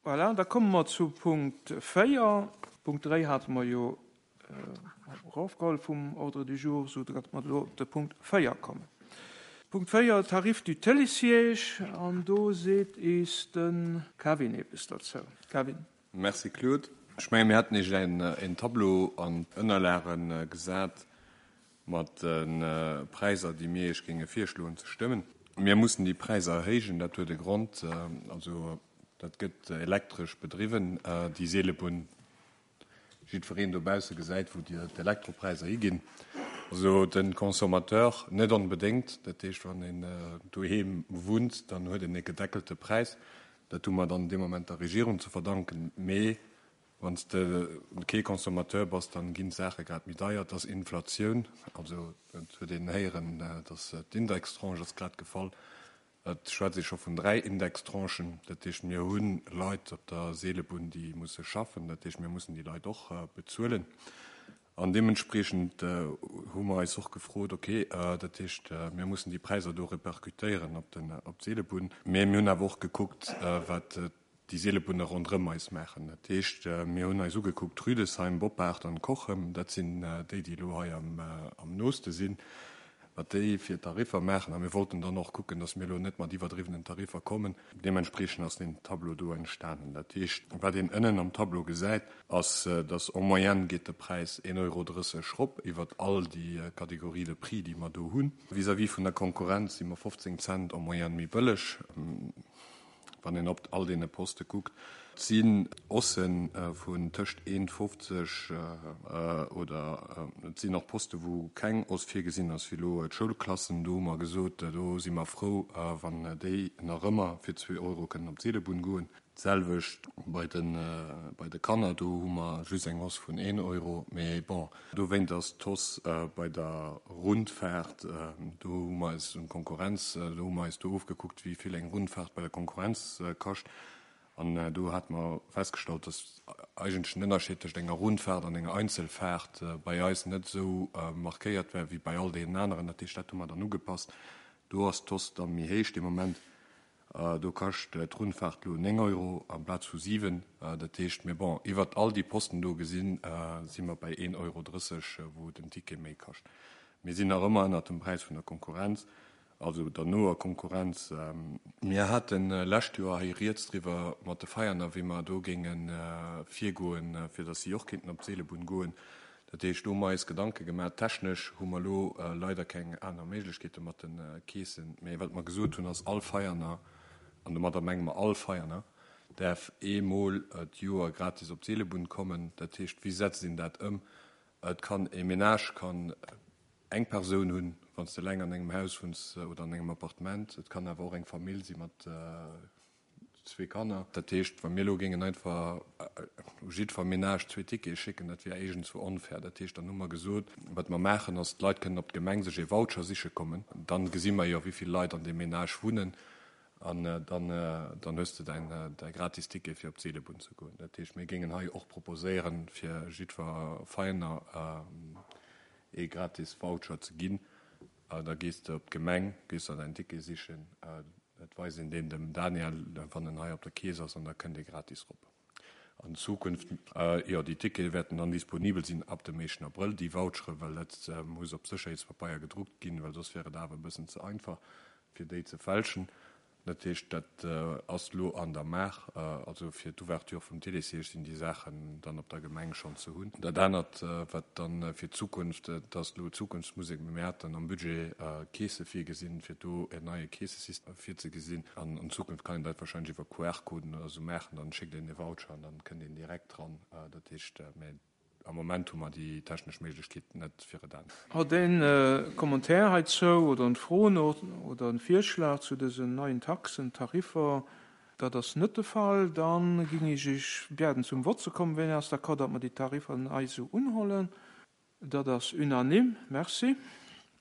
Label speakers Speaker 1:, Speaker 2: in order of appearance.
Speaker 1: Voilà, da komme mer zu Punkt 4. Punkt 3 hate mer jo erofgeholl vum Ordre du jour, esou datt mer elo op de Punkt 4 kommen. Punkt 4, Tarif du Télésiège, an do seet eis de Kevin eppes derzou. Kevin.
Speaker 2: Merci Claude. Ech mengen, mir haten Iech en Tableau an d'Ënnerlage gesat mat de Präisser, déi mir Iech géinge virschloen ze stëmmen. Mir mussen déi Präisser erhéijen, dat huet e Grond. Also dat gëtt elektresch bedriwwen, déi Seelebunn. Jiddwereen dobausse gesäit, wou d'Elektropräisser higinn. Also de Consommateur net onbedéngt. Dat heescht, wann een doheem wunnt, dann huet een e gedeckelte Präis. Dat hu mer dann dee Moment der Regierung ze verdanken. Mee wann s de kee Consommateur bass, dann ginn d'Saache grad méi deier. Et ass Inflatioun. Also et huet een héieren, dass d'Indextranche ass grad gefall. Et schwätzt ee scho vun 3 Indextranchen. Dat heescht, mir hu Leit op der Seelebunn, déi musse schaffen. Dat heescht, mir mussen déi Leit och bezuelen. An deementspriechend hu mer eis och gefrot, okay, dat heescht, mir mussen déi Präisser do repercutéieren op d'Seelebunn. Mee mir hunn awer och gekuckt, wat déi Seelebunne ronderëm eis maachen. Dat heescht, mir hunn eis ugekuckt Rüdesheim, Boppard an Cochem, dat sinn déi, déi elo hei am nooste sinn, wat déi fir Tariffer maachen. A mir wollten dann och kucken, datt mir elo net mat iwwerdriwwenen Tariffer kommen. Deementspriechend ass deen Tableau do entstanen. Dat heescht, wat een ënnen am Tableau gesäit, ass, datt en moyenne geet de Präis 1,30 Euro rop iwwert all déi Catégories de prix, déi mer do hunn. Vis-à-vis vun der Konkurrenz si mer 15 Cent en moyenne méi bëlleg. Wann een op all deene Poste kuckt, et sinn Haussë vun tëscht 1,50 oder et sinn och Poste wou keng Hausse virgesinn ass, wéi elo d'Schoulklassen. Do hu mer gesot, do si mer frou, wann déi nach ëmmer fir zwee Euro kënnen op d'Seelebunn goen. D'selwecht bei de bei de Kanner, do hu mer just eng Hausse vun een Euro. Mee bon, dowéint ass d'Hausse bei der Rundfahrt, do hu mer eis un d'Konkurrenz, do hu mer eis do ofgekuckt, wéi vill eng Rundfahrt bei der Konkurrenz kascht. An do hate mer festgestallt, dass eigentlech den Ënnerscheed tëscht enger Rundfahrt an enger Einzelfahrt bei eis net esou markéiert war wéi bei all deenen aneren. Dat heescht, dat hu mer dann ugepasst. Do ass d'Hausse da méi héich de Moment. Do kascht d'Rundfahrt elo 9 Euro amplaz vu 7. Dat heescht, mee bon, iwwert all déi Posten do gesinn, si mer bei 1,30 Euro, wou den Ticket méi kascht. Mir sinn nach ëmmer ënnert dem Präis vun der Konkurrenz, also der noer Konkurrenz. Mir hate lescht Joer hei rieds driwwer mat de Veianer, wéi mer do géinge virgoen, fir datt si och kéinten op d'Seelebunn goen. Dat heescht, do hu mer eis Gedanke gemaach. Technesch hu mer elo leider keng aner Méiglechkeete mat de Keesen. Mee wat mer gesot hunn, ass, all Veianer, an domadder menge mer all Veianer, däerf eemol d'Joer gratis op d'Seelebunn kommen. Dat heescht, wéi setzt een dat ëm? Et kann e Menage kann eng Persoun hunn, wann s de eleng an engem Haus wunns oder an engem Appartement. Et kann awer och eng Famill si mat Zwee Kanner. Dat heescht, wa mir elo géingen einfach u jiddwer Menage zwee Tickete schécken, dat wier éigendzwou onfair. Dat heescht, dann hu mer gesot, wat mer maachen, ass, d'Leit kënnen op d'Gemeng sech ee Voucher siche kommen. Dann gesi mer jo, wéi vill Leit an deem Menage wunnen an dann, dann hues de däin, däi gratis Ticket, fir op d'Seelebunn ze goen. Dat heescht, mir géingen hei och proposéieren, fir jiddwer Veiener ee gratis Voucher ze ginn. Da gees de op d'Gemeng, gees der däin Ticket sichen. Et weist een deen dem Daniel, wann en hei op der Kees ass, an da kënnt ee gratis rop. An Zukunft, jo, déi Tickete wäerten dann disponibel sinn ab dem éischten Abrëll, déi Vouchere, well dat muss op Sécherheetspapeier gedruckt ginn, well soss wär et awer e bëssen ze einfach, fir déi ze fälschen. Dat heescht, dat ass elo an der Maach. Also fir d'Ouverture vum Télésiège sinn déi Saachen dann op der Gemeng schonn ze hunn. Dat anert, wat dann fir d'Zukunft, dat ass elo Zukunftsmusek, mee mir haten am Budget Keese virgesinn, fir do en neie Keesesystem virzegesinn. An an Zukunft kann een dat wahrscheinlech iwwer QR-Coden oder esou maachen. Dann schéckt een e Voucher an dann kënnt een direkt dran. Dat heescht, mä am Moment hu mer déi technesch Méiglechkeet net fir et anescht.
Speaker 1: Hutt een e Commentaire heizou oder en Fro oder en Virschlag zu dësen neien Taxen, Tariffer? Dat ass net de Fall. Da ging ech Iech biaden zum Vott ze kommen. Wien ass d'accord, datt mer déi Tariffer nei esou unhollen? Dat ass unanime. Merci.